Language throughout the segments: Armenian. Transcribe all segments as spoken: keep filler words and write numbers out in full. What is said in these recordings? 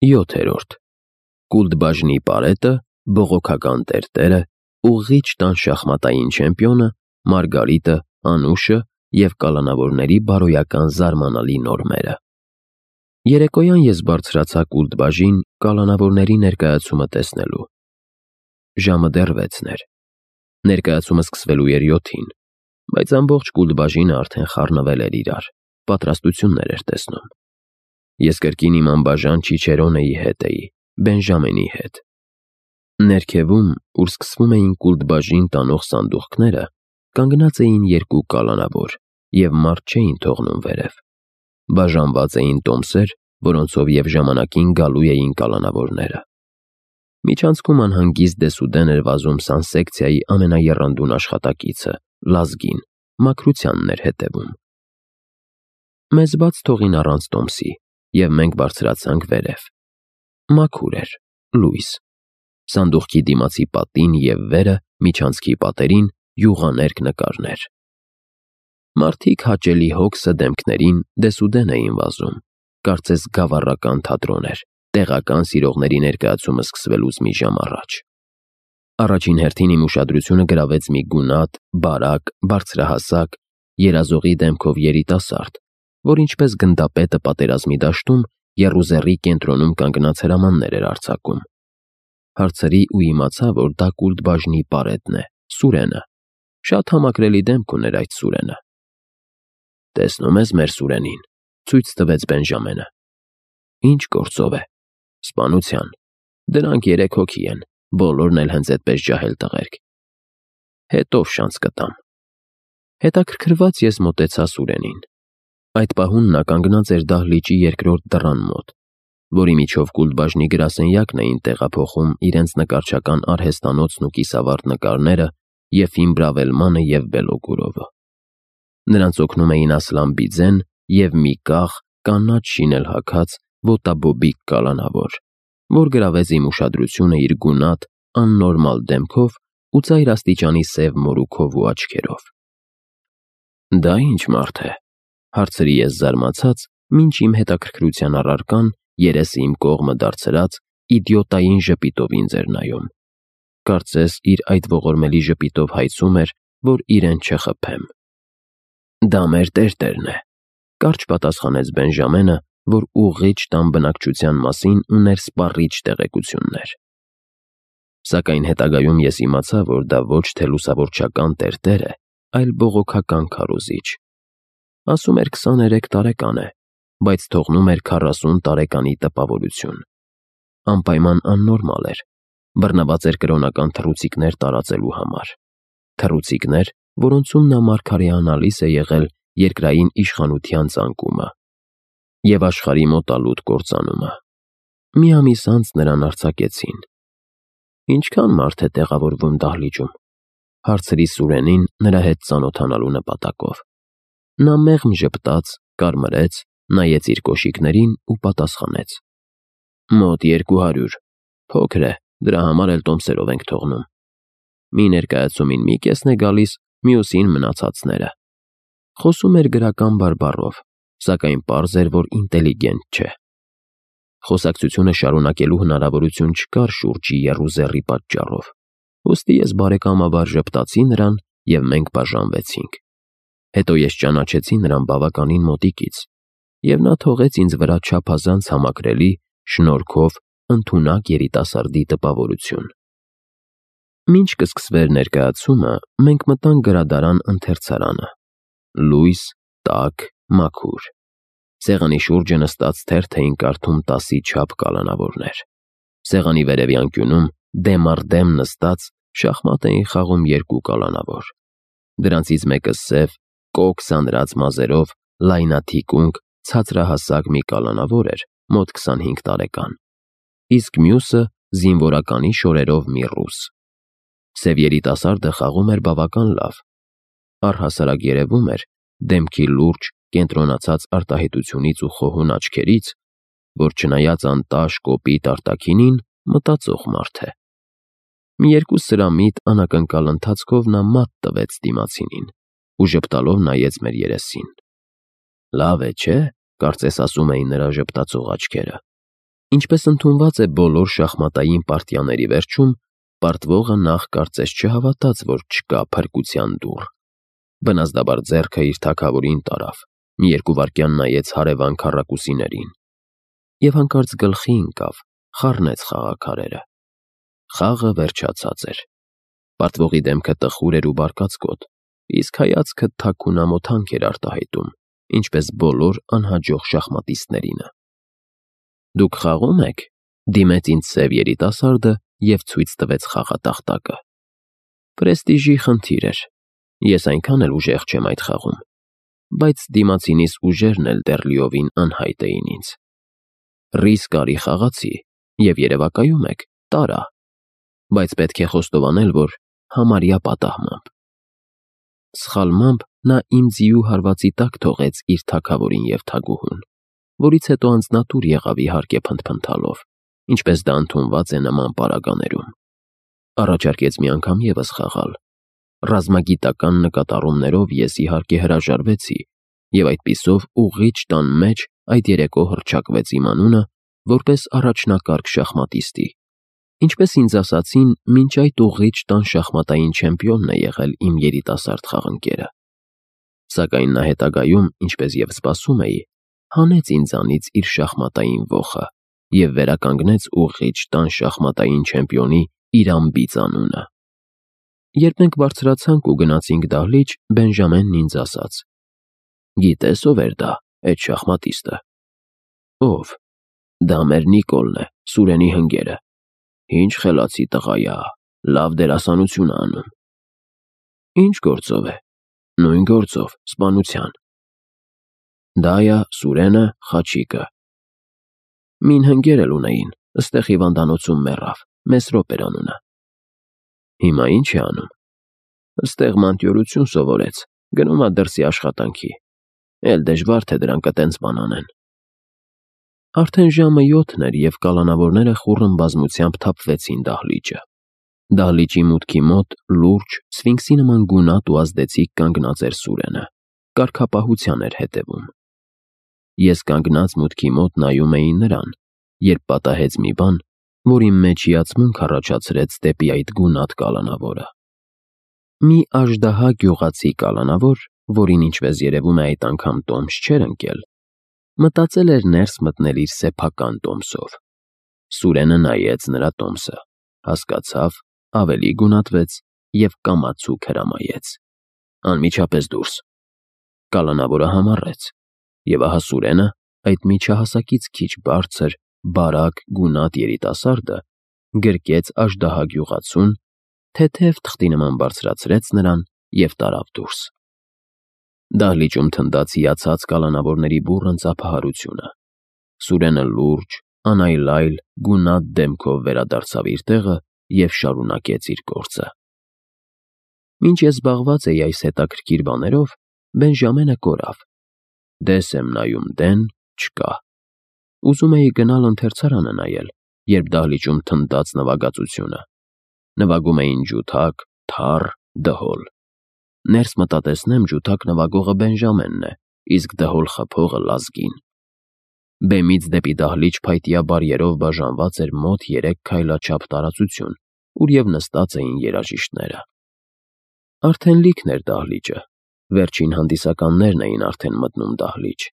յոթերորդ Կուլտբաժնի պարետը, բողոքական տերտերը, ուղղիչ տան շախմատային չեմպիոնը, Մարգարիտը, Անուշը և կալանավորների բարոյական զարմանալի նորմերը։ Երեկոյան ես բարձրացա Կուլտբաժին կալանավորների ներկայացումը տեսնելու։ Ժամը դեռ վեցն էր։ Ներկայացումը սկսվելու էր յոթին, բայց ամբողջ Կուլտբաժինը արդեն խառնվել էր իրար, պատրաստություններ էր տեսնում։ Ես կրկին իմ անբաժան Չիչերոնեի հետ էի, Բենժամենի հետ։ Ներքևում, ուր սկսվում էին Կուլտբաժին տանող սանդուղքները, կանգնած էին երկու կալանավոր և մարդ չէին թողնում վերև։ Բաժանված էին տոմսեր, որոնցով և ժամանակին գալու էին կալանավորները։ Միջանցքում անհանգիստ դեսուդեն էր վազում սանսեկցիայի ամենաեռանդուն աշխատակիցը՝ Լազգին, մաքրությանն էր հետևում։ Մեզ բաց թողին առանց տոմսի, և մենք բարձրացանք վերև։ Մաքուր էր, լույս։ Սանդուղքի դիմացի պատին և վերը, միջանցքի պատերին, յուղաներկ նկարներ։ Մարդիկ հաճելի հոգսը դեմքներին դեսուդեն էին վազում, կարծես գավառական թատրոն էր, տեղական սիրողների ներկայացումը սկսվելուց մի ժամ առաջ։ Առաջին հերթին իմ ուշադրությունը գրավեց մի գունատ, բարակ, բարձրահասակ, երազողի դեմքով երիտասարդ, որ ինչպես գնդապետը պատերազմի դաշտում եռուզեռի կենտրոնում կանգնած հրամաններ էր արձակում։ Հարցրի ու իմացա, որ դա Կուլտբաժնի պարետն է, Սուրենը։ Շատ համակրելի դեմք ուներ այդ Սուրենը։ «Տեսնում ես մեր Սուրենին», ցույց տվեց Բենժամենը։ «Ինչ գործով է»։ «Սպանության։ Դրանք երեք հոգի են, բոլորն էլ հենց էդպես ջահել տղերք»։ «Հետո շանս կտամ»։ Հետաքրքրված ես մոտեցա Սուրենին։ Այդ պահուն նա կանգնած էր դահլիճի երկրորդ դռան մոտ, որի միջով Կուլտբաժնի գրասենյակն էին տեղափոխում իրենց նկարչական արհեստանոցն ու կիսավառ նկարները Եֆիմ Բրավելմանը և Բելոգորովը։ Նրանց օգնում էին Ասլան Բիձեն և մի կախ, կանաչ շինել հագած, ոտաբոբիկ կալանավոր, որ գրավեց իմ ուշադրությունը իր գունատ, աննորմալ դեմքով ու ծայր աստիճանի սև մորուքով ու աչքերով։ «Դա ի՞նչ մարդ է», հարցրի ես զարմացած, մինչ իմ հետաքրքրության առարկան, երեսը իմ կողմը դարձրած, իդիոտային ժպիտով ինձ էր նայում։ Կարծես իր այդ ողորմելի ժպիտով հայցում էր, որ իրեն չխփեմ։ «Դա մեր տերտերն է», կարճ պատասխանեց Բենժամենը, որ ուղղիչ տան բնակչության մասին ուներ սպառիչ տեղեկություններ։ Սակայն հետագայում ես իմացա, որ դա ոչ թե լուսավորչական տերտեր է, այլ բողոքական քարոզիչ։ Ասում էր քսաներեք տարեկան է, բայց թողնում էր քառասուն տարեկանի տպավորություն։ Անպայման աննորմալ էր, բռնված էր կրոնական թռուցիկներ տարածելու համար։ Թռուցիկներ, որոնցում նա մարգարեանալիս է եղել երկրային իշխանության ծանկումը և աշխարհի մոտալուտ կործանումը։ Մի ամիս անց նրան արձակեցին։ «Ինչքան մարդ է տեղավորվում դահլիճում»։ Հարցրի Սուրենին նրա հետ ծանոթանալու նպատակով։ Նա մեղմ ժպտաց, կարմրեց, նայեց իր կոշիկներին ու պատասխանեց. «Մոտ երկու հարյուր։ Փոքր է, դրա համար էլ տոմսերով ենք թողնում։ Մի ներկայացումին մի կեսն է գալիս, մյուսին մնացածները»։ Խոսում էր գրական բարբառով, սակայն պարզ էր, որ ինտելիգենտ չէ։ Խոսակցությունը շարունակելու հնարավորություն չկար շուրջի եռուզեռի պատճառով, ուստի ես բարեկամաբար ժպտացի նրան, և մենք բաժանվեցինք։ Հետո ես ճանաչեցի նրան բավականին մոտիկից, և նա թողեց ինձ վրա չափազանց համակրելի, շնորհքով ընդունակ երիտասարդի տպավորություն։ Մինչ կսկսվեր ներկայացումը, մենք մտանք գրադարան ընթերցարանը։ Լույս, տաք, մաքուր։ Սեղանի շուրջը նստած թերթ էին կարդում տասի չափ կալանավորներ։ Սեղանի վերևյան կյունում, դեմ առ դեմ նստած, շախմատ էին խաղում երկու կալանավոր։ Դրանցից մեկը սև, կոկ սանրած մազերով, լայնաթիկունք, ցածրահասակ մի կալանավոր էր, մոտ քսանհինգ տարեկան, իսկ մյուսը զինվորականի շորերով մի ռուս։ Սև երիտասարդը խաղում էր բավական լավ։ Առհասարակ երևում էր, դեմքի լուրջ, կենտրոնացած արտահայտությունից ու խոհուն աչքերից, որ չնայած անտաշ կոպիտ արտաքինին, մտածող մարդ է։ Մի երկու սրամիտ անակնկալ ընթացքով նա մատ տվեց դիմացինին ու ժպտալով նայեց մեր երեսին։ «Լավ է, չէ՞», կարծես ասում էին նրա ժպտացող աչքերը։ Ինչպես ընդունված է բոլոր շախմատային պարտիաների վերջում, պարտվողը նախ կարծես չհավատաց, որ չկա փրկության դուռ։ Բնազդաբար ձեռքը իր թագավորին տարավ, մի երկու վայրկյան նայեց հարևան քառակուսիներին և հանկարծ գլխի ընկավ, խառնեց խաղաքարերը։ Խաղը վերջացած էր։ Պարտվողի դեմքը տխուր էր ու բարկացկոտ, իսկ հայացքը թաքուն ամոթանք էր արտահայտում, ինչպես բոլոր անհաջող շախմատիստներինը։ «Դուք խաղո՞ւմ եք», դիմեց ինձ սև երիտասարդը և ցույց տվեց խաղատախտակը։ Պրեստիժի խնդիր էր։ Ես այնքան էլ ուժեղ չեմ այդ խաղում, բայց դիմացինիս ուժերն էլ դեռ լիովին անհայտ էին ինձ։ Ռիսկ արի խաղացի, և երևակայում եք՝ տարա, բայց պետք է խոստովանել, որ համարյա պատահմամբ։ Սխալմամբ նա իմ ձիու հարվածի տակ թողեց իր թագավորին և թագուհուն, որից հետո անձնատուր եղավ իհարկե փնթփնթալով, ինչպես դա ընդունված է նման պարագաներում։ Առաջարկեց մի անգամ ևս խաղալ։ Ռազմագիտական նկատառումներով ես իհարկե հրաժարվեցի, և այդպիսով ուղղիչ տան մեջ այդ երեկո հռչակվեց իմ անունը որպես առաջնակարգ շախմատիստի, ինչպես ինձ ասացին, մինչ այդ ուղղիչ տան շախմատային չեմպիոնն է եղել իմ երիտասարդ խաղընկերը։ Սակայն նա հետագայում, ինչպես և սպասում էի, հանեց ինձանից իր շախմատային ոխը և վերականգնեց ուղղիչ տան շախմատային չեմպիոնի իր անբիծ անունը։ Երբ մենք բարձրացանք ու գնացինք դահլիճ, Բենջամենն ինձ ասաց. «Գիտե՞ս ով էր դա, էդ շախմատիստը»։ «Ով»։ «Դա մեր Նիկոլն է, Սուրենի հնգերը։ Ինչ խելացի տղա ա, լավ դերասանություն ա անում»։ «Ինչ գործով է»։ «Նույն գործով, սպանության»։ «Դա ա Սուրենը, Խաչիկը»։ «Մին հնգեր էլ ունեին, ստեղ հիվանդանոցում մեռավ, Մեսրոպ էր անունը»։ «Հիմա ի՞նչ է անում»։ «Ստեղ մանտյորություն սովորեց, գնում ա դրսի աշխատանքի, էլ դժվար թե դրանք էտենց բան անեն»։ Արդեն ժամը յոթն էր, և կալանավորները խուռն բազմությամբ թափվեցին դահլիճը։ Դահլիճի մուտքի մոտ լուրջ, սֆինքսի նման գունատ ու ազդեցիկ կանգնած էր Սուրենը, կարգապահության էր հետևում։ Ես կանգնած մուտքի մոտ նայում էի նրան, երբ պատահեց մի բան, որ իմ մեջ հիացմունք առաջացրեց դեպի այդ գունատ կալանավորը։ Մի աժդահա գյուղացի կալանավոր, որին, ինչպես երևում է, այդ անգամ տոմս չէր ընկել, մտածել էր ներս մտնել իր սեփական տոմսով։ Սուրենը նայեց նրա տոմսը, հասկացավ, ավելի գունատվեց և կամացուկ հրամայեց. «Անմիջապես դուրս»։ Կալանավորը համառեց, և ահա Սուրենը, այդ միջահասակից քիչ բարձր, բարակ, գունատ երիտասարդը գրկեց աժդահա գյուղացուն, թեթև թղթի նման բարձրացրեց նրան և տարավ դուրս։ Դահլիճում թնդաց հիացած կալանավորների բուռն ծափահարությունը։ Սուրենը լուրջ, անայլայլ, գունատ դեմքով վերադարձավ իր տեղը և շարունակեց իր գործը։ Մինչ ես զբաղված էի այս հետաքրքիր բաներով, Բենջամենը կորավ։ Դես եմ նայում դեն, չկա։ Ուզում էի գնալ ընթերցարանը նայել, երբ դահլիճում թնդաց նվագածությունը։ Նվագում էին ջութակ, թառ, դհոլ։ Ներս մտա տեսնեմ ջութակ նվագողը Բենջամենն է, իսկ դհոլ խփողը Լազգին։ Բեմից դեպի դահլիճ փայտյա բարիերով բաժանված էր մոտ երեք քայլաչափ տարածություն, ուր և նստած էին երաժիշտները։ Արդեն լիքն էր դահլիճը, վերջին հանդիսականներն էին արդեն մտնում դահլիճ,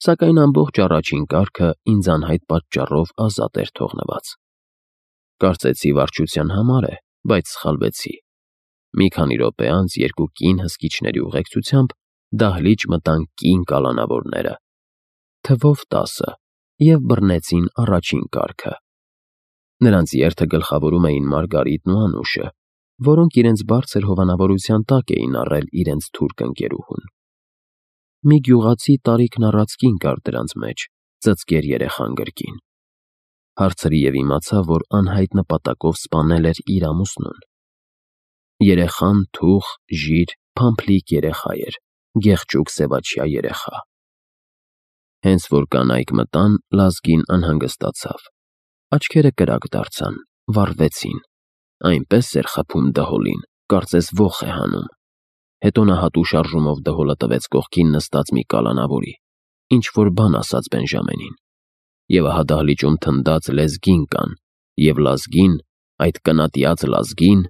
սակայն ամբողջ առաջին կարգը ինձ անհայտ պատճառով ազատ էր թողնված։ Կարծեցի վարչության համար է, բայց սխալվեցի։ Մի քանի րոպե անց երկու կին հսկիչների ուղեկցությամբ դահլիճ մտան կին կալանավորները, թվով տասը, և բռնեցին առաջին կարգը։ Նրանց երթը գլխավորում էին Մարգարիտն ու Անուշը, որոնք իրենց բարձր հովանավորության տակ էին առել իրենց թուրք ընկերուհուն։ Մի գյուղացի տարիքն առած կին կար դրանց մեջ, ծծկեր երեխան կրկին։ Հարցրի և իմացա, որ անհայտ նպատակով սպանել էր իր ամուսնուն։ Երեխան թուխ, ժիր, փամփլիկ երեխա էր, գեղճուկ սևաչյա երեխա։ Հենց որ կանայք մտան, Լազգին անհանգստացավ։ Աչքերը կրակ դարձան, վառվեցին։ Այնպես էր խփում դհոլին, կարծես ոխ է հանում։ Հետո նա հատու շարժումով դհոլը տվեց կողքին նստած մի կալանավորի, ինչ-որ բան ասաց Բենջամենին։ եւ ահա դահլիճում թնդած լեզգին կան, եւ լազգին, այդ կնատիած լազգին,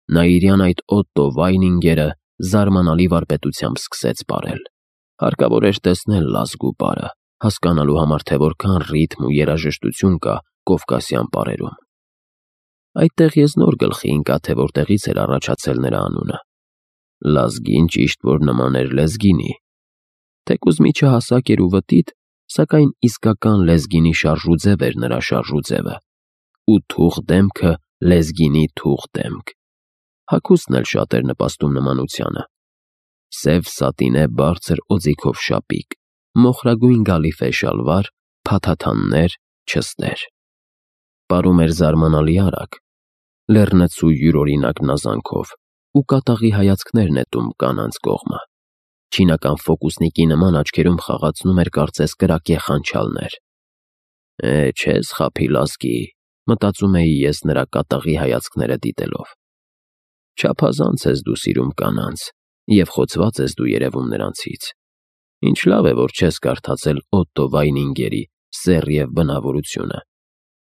Նաիրյան այդ Օտտո Վայնինգերը զարմանալի վարպետությամբ սկսեց պարել։ Հարկավոր էր տեսնել լազգու պարը, հասկանալու համար, թե որքան ռիթմ ու երաժշտություն կա կովկասյան պարերում։ Այդտեղ ես նոր գլխի ընկա, թե որտեղից էր առաջացել նրա անունը։ Լազգին ճիշտ որ նման էր լեզգինի։ Թեկուզ միջահասակ էր ու վտիտ, սակայն իսկական լեզգինի շարժուձև էր նրա շարժուձևը, ու թուղ դեմքը լեզգինի թուղ դեմք։ Հագուստն էլ շատ էր նպաստում նմանությանը։ Սև սատինե բարձր օձիքով շապիկ, մոխրագույն գալիֆե շալվար, փաթաթաններ, չստեր։ Պարում էր զարմանալի արագ, լեռնցու յուրօրինակ նազանքով ու կատաղի հայացքներ նետում կանանց կողմը։ Չինական ֆոկուսնիկի նման աչքերում խաղացնում էր կարծես կրակե խանչալներ։ Է, չես խաբի լազգի, մտածում էի ես նրա կատաղի հայացքները դիտելով։ Չափազանց ես դու սիրում կանանց և խոցված ես դու երևում նրանցից։ Ինչ լավ է, որ չես կարդացել Օտտո Վայնինգերի «Սեռ և բնավորությունը»։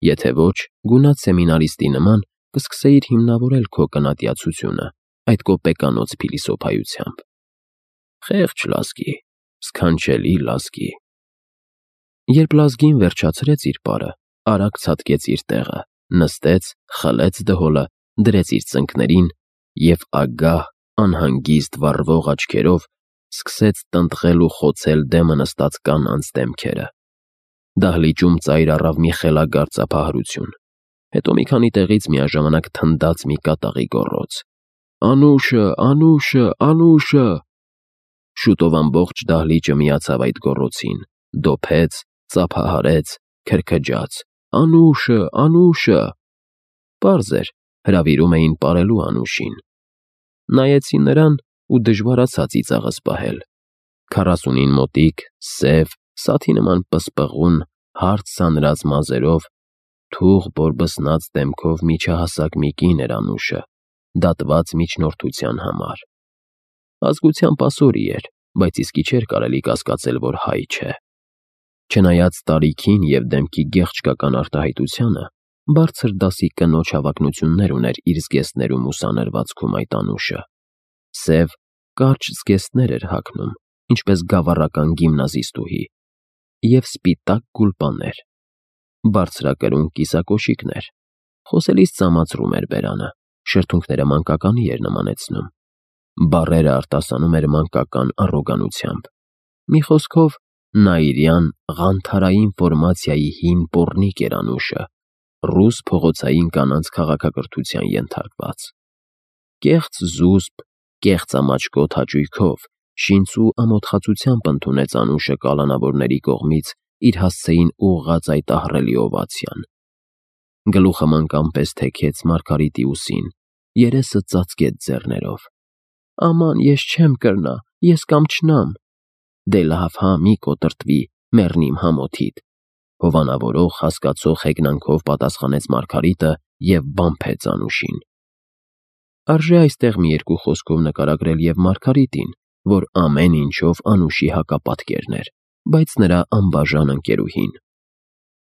Եթե ոչ, գունատ սեմինարիստի նման կսկսեիր հիմնավորել քո կնատիացությունը այդ կոպեկանոց փիլիսոփայությամբ։ Խեղճ լազգի, սքանչելի լազգի։ Երբ լազգին վերջացրեց իր պարը, արագ ցատկեց իր տեղը, նստեց, խլեց դհոլը, դրեց իր ծնկներին և ագահ, անհանգիստ վառվող աչքերով սկսեց տնտղել ու խոցել դեմը նստած կանանց դեմքերը։ Դահլիճում ծայր առավ մի խելագար ծափահարություն, հետո մի քանի տեղից միաժամանակ թնդաց մի կատաղի գոռոց. «Անուշը, Անուշը, Անուշը»։ Շուտով ամբողջ դահլիճը միացավ այդ գոռոցին, դոփեց, ծափահարեց, քրքջաց. «Անուշը, Անուշը»։ Պարզ էր, հրավիրում էին պարելու Անուշին։ Նայեցի նրան ու դժվարացա ծիծաղս պահել։ Քառասունին մոտիկ, սև, սաթի նման պսպղուն, հարթ սանրած մազերով, թուղ բորբսնած դեմքով միջահասակ մի կին էր Անուշը, դատված միջնորդության համար։ Ազգությամբ ասորի էր, բայց իսկի չէր կարելի կասկածել, որ հայ չէ։ Չնայած տարիքին և դեմքի գեղչկական արտահայտությանը, բարձր դասի կնոջ հավակնություններ ուներ իր զգեստներում ու սանրվածքում այդ Անուշը։ Սև, կարճ զգեստներ էր հագնում, ինչպես գավառական գիմնազիստուհի, և սպիտակ գուլպաներ, բարձրակրուն կիսակոշիկներ։ Խոսելիս ծամացրում էր բերանը, շրթունքները մանկականի էր նմանեցնում։ Բառերը արտասանում էր մանկական առոգանությամբ։ Մի խոսքով, Նաիրյան ղանթարային ֆորմացիայի հին պոռնիկ էր Անուշը, ռուս փողոցային կանանց քաղաքակրթության ենթարկված։ Կեղծ զուսպ, կեղծամաչկոտ հաճույքով, շինծու ամոթխածությամբ ընդունեց Անուշը կալանավորների կողմից իր հասցեին ուղղած այդ ահռելի օվացիան։ Գլուխը մանկան պես թեքեց Մարգարիտի ուսին, երեսը ծածկեց ձեռներով։ Աման, ես չեմ կրնա, ես կամչնամ։ Դե լավ հա, մի կոտրտվի, մեռնիմ համոթիդ, հովանավորող, հասկացող հեգնանքով պատասխանեց Մարգարիտը և բամփեց Անուշին։ Արժե այստեղ մի երկու խոսքով նկարագրել և Մարգարիտին, որ ամեն ինչով Անուշի հակապատկերն էր, բայց նրա անբաժան ընկերուհին։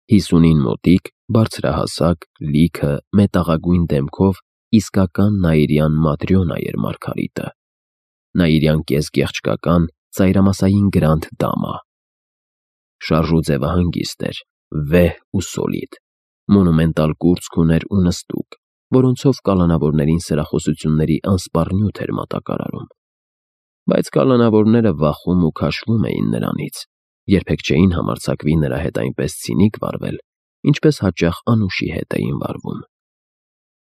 Հիսունին մոտիկ, բարձրահասակ, լիքը, մետաղագույն դեմքով իսկական նաիրյան Մատրյոնա էր Մարգարիտը։ Նաիրյան կես-գեղչկական, ծայրամասային գրանդ դամա։ Շարժուձևը հանգիստ էր, վեհ ու սոլիդ, մոնումենտալ կուրծք ուներ ու նստուկ, որոնցով կալանավորներին սրախոսությունների անսպառ նյութ էր մատակարարում։ Բայց կալանավորները վախում ու քաշվում էին նրանից, երբեք չէին համարձակվի նրա հետ այնպես ցինիկ վարվել, ինչպես հաճախ Անուշի հետ էին վարվում։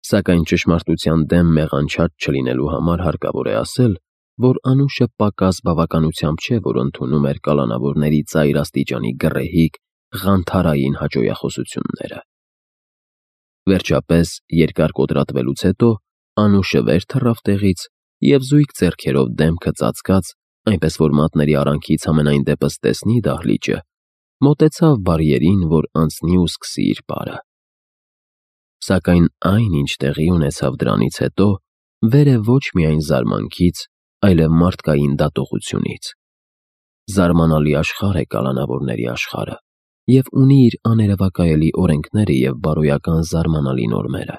Սակայն ճշմարտության դեմ մեղանչած չլինելու համար հարկավոր է ասել, որ Անուշը պակաս բավականությամբ չէ, որ ընդունում էր կալանավորների ծայր աստիճանի գռեհիկ, ղանթարային հաճոյախոսությունները։ Վերջապես, երկար կոտրատվելուց հետո, Անուշը վեր թռավ տեղից և զույգ ձեռքերով դեմքը ծածկած, այնպես որ մատների արանքից համենայն դեպս տեսնի դահլիճը, մոտեցավ բարիերին, որ անցնի ու սկսի իր պարը։ Սակայն այն, ինչ տեղի ունեցավ դրանից հետո, վեր է ոչ միայն զարմանքից, այլև մարդկային դատողությունից։ Զարմանալի աշխարհ է կալանավորների աշխարհը, և ունի իր աներևակայելի օրենքները և բարոյական զարմանալի նորմերը։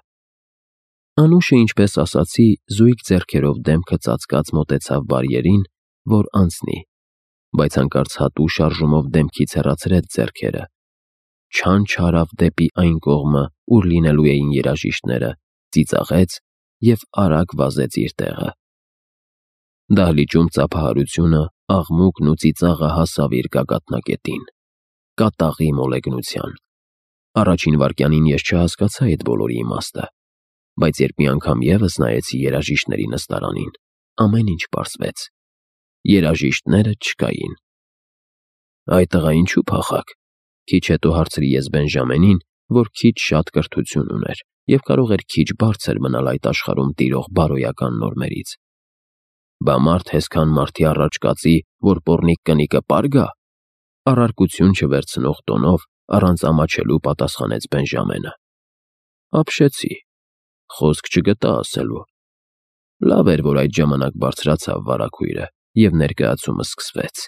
Անուշը, ինչպես ասացի, զույգ ձեռքերով դեմքը ծածկած մոտեցավ բարիերին, որ անցնի, բայց հանկարծ հատու շարժումով դեմքից հեռացրեց ձեռքերը, չանչ արավ դեպի այն կողմը, ուր լինելու էին երաժիշտները, ծիծաղեց և արագ վազեց իր տեղը։ Դահլիճում ծափահարությունը, աղմուկն ու ծիծաղը հասավ իր գագաթնակետին, կատաղի մոլեգնության։ Առաջին վայրկյանին ես չհասկացա այդ բոլորի իմաստը, բայց երբ մի անգամ ևս նայեցի երաժիշտների նստարանին, ամեն ինչ պարզվեց։ Երաժիշտները չկային։ «Այ տղա, ինչու՞ փախաք», քիչ հետո հարցրի ես Բենջամենին, որ քիչ-շատ կրթություն ուներ և կարող էր քիչ բարձր մնալ այդ աշխարհում տիրող բարոյական նորմերից։ «Բա մարդ հեսքան մարդի առաջ կածի, որ պոռնիկ կնիկը պար գա»։ Առարկություն չվերցնող տոնով, առանց ամաչելու պատասխանեց Բենջամենը։ Ապշեցի։ Խոսք չգտա ասելու։ Լավ էր, որ այդ ժամանակ բարձրացավ վարագույրը, և ներկայացումը սկսվեց։